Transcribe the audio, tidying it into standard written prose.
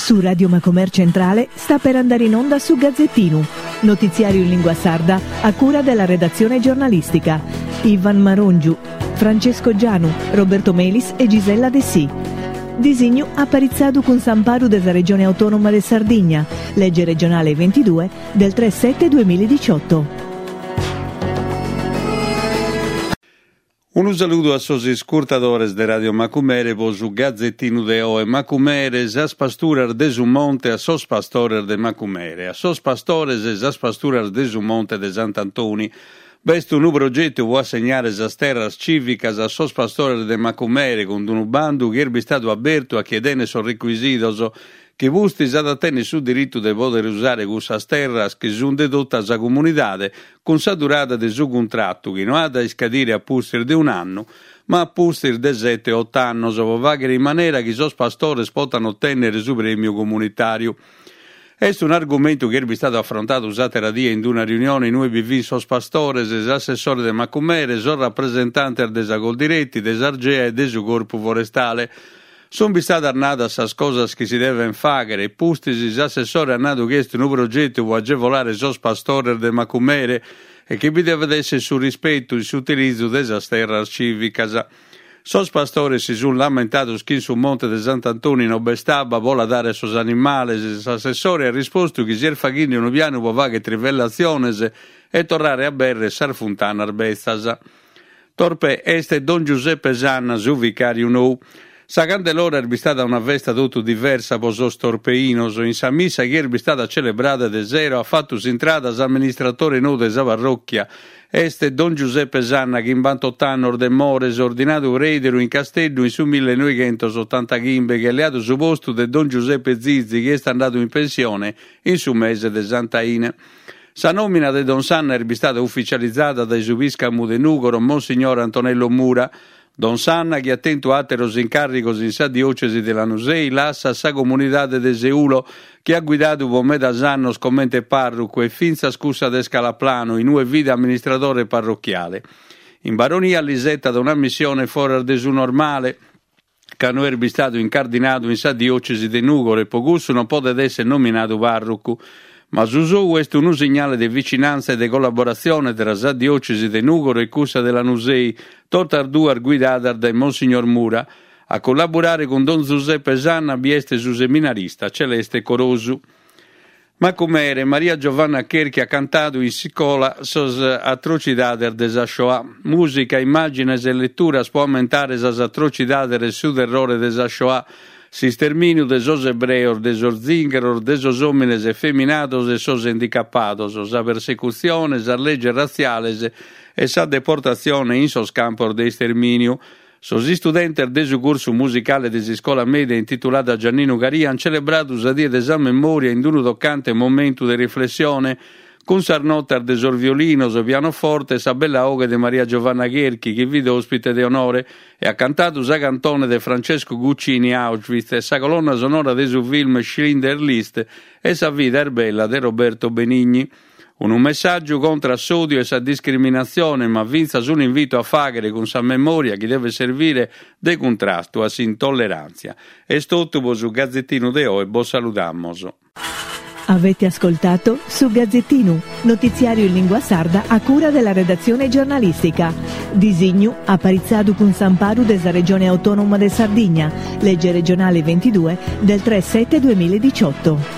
Su Radio Macomer Centrale sta per andare in onda su Gazzettinu, notiziario in lingua sarda a cura della redazione giornalistica. Ivan Marongiu, Francesco Gianu, Roberto Melis e Gisella Dessì. Disignu aparitzadu cun s'amparu de sa Regione Autonoma de Sardigna, lege regionale 22 del 3 7 2018. Unu saludu a sos iscurtadores de Radio Macumere po su Gazettinu de oe. Macumere, sas pasturas de su monte a sos pastores de Macumere, a sos pastores sas pasturas de su monte de Sant'Antoni. B'est unu progetu po assegnare sas terras cìvicas a sos pastores de Macumere cun unu bandu chi est bistadu abertu a chie tenet sos recuisidos chi pustis at a tenner su diritu de poder usare cussas terras chi sunt de tota sa comunidade cun sa durada de su cuntratu chi no at a iscadire a pustis de un'annu ma a pustis de sete o ot'annos pro fàghere in manera chi sos pastores potan otènnere su prèmiu comunitàriu. Est un'argumentu chi est bistadu afrontadu s'àtera die in una riunione in ue bi fin sos pastores, s'assessore de Macumere, sos rapresentantes de sa Coldiretti, de s'Argea e de su Corpu Forestale. Sunt bistadas nadas sas cosas chi si devent fàghere e pustis s'assessore at nadu chi est unu progetu pro agevolare sos pastores de Macumere e chi bi devet èssere su rispetu in s'utilizu de sas terras cìvicas. Sos pastores si sunt lamentados chi in su monte de Sant'Antoni no b'est abba pro la dare a sos animales e s'assessore at rispostu chi si est faghende unu pianu pro fàghere trivellatziones e torrare a abèrrere sas funtanas betzas. Torpè est Don Giuseppe Sanna su vicàriu nou. Sa Candelora est bistada una festa totu diversa pro sos torpeinos. In sa missa chi est bistada celebrada de sero at fatu s'intrada s'amministratore nou de sa parròchia. Est Don Giuseppe Sanna, chimbantot'annos de Mores, ordinadu preideru in Casteddu in su millenoighentosotantachimbe, chi at leadu su postu de Don Giuseppe Zizi chi est andadu in pensione in su mese de Sant'Aine. Sa nòmina de Don Sanna est bistada uficializada dae su pìscamu de Nùgoro, Monsignor Antonello Mura. Don Sanna, chi at tentu àteros incàrrigos in sa diòcesi de Lanusei, lassat sa comunidade de Seulo, chi at guidadu pro medas annos comente pàrrucu e fintzas cussa de Scalaplanu, in ue fit amministradore parrochiale. In Baronia l'isetat una missione foras de su normale, ca no est bistadu incardinadu in sa diòcesi de Nùgoro e pro cussu non podet èssere nominadu pàrrucu. Ma su sou est unu signale de vicinàntzia e de collaboratzione tra sa diòcesi de Nùgoro e cussa de Lanusei, totas duas guidadas dae Monsignor Mura. A collaborare cun Don Zuseppe Sanna bi est su seminarista Celeste Corosu. Macumere, Maria Giovanna Cherchi at cantadu in iscola sas atrocidades de sa Shoah. Mùsica, immàgines e leturas pro ammentare sas atrocidades e su terrore de sa Shoah, s'istermìniu de sos ebreos, de sos zìngheros, de sos òmines efeminados e sos handicapados, sa persecutzione, sas leges ratziales e sa deportatzione in sos campos de istermìniu. Sos istudentes de su cursu musicale de s'iscola mèdia intitulada Gianninu Caria ant celebradu sa Die de sa Memòria in unu tocante momentu de riflessione, cun sas notas de sos violinos, pianoforte e sa bella 'oghe de Maria Giovanna Cherchi, chi fit òspite de onore e at cantadu sa cantone de Francesco Guccini Auschwitz e sa colonna sonora de su film Schindler's List e Sa vida est bella de Roberto Benigni. Unu messàgiu contra a s'òdiu e sa discriminatzione, ma fintzas un'invitu a fàghere cun sa memòria chi devet servire de cuntrastu a s'intolleràntzia. Est totu pro su Gazetinu de oe, bos saludamos. Avete ascoltato Su Gazzettinu, notiziario in lingua sarda a cura della redazione giornalistica. Disignu aparitzadu cun s'amparu de sa Regione Autonoma de Sardigna, legge regionale 22 del 3 7 2018.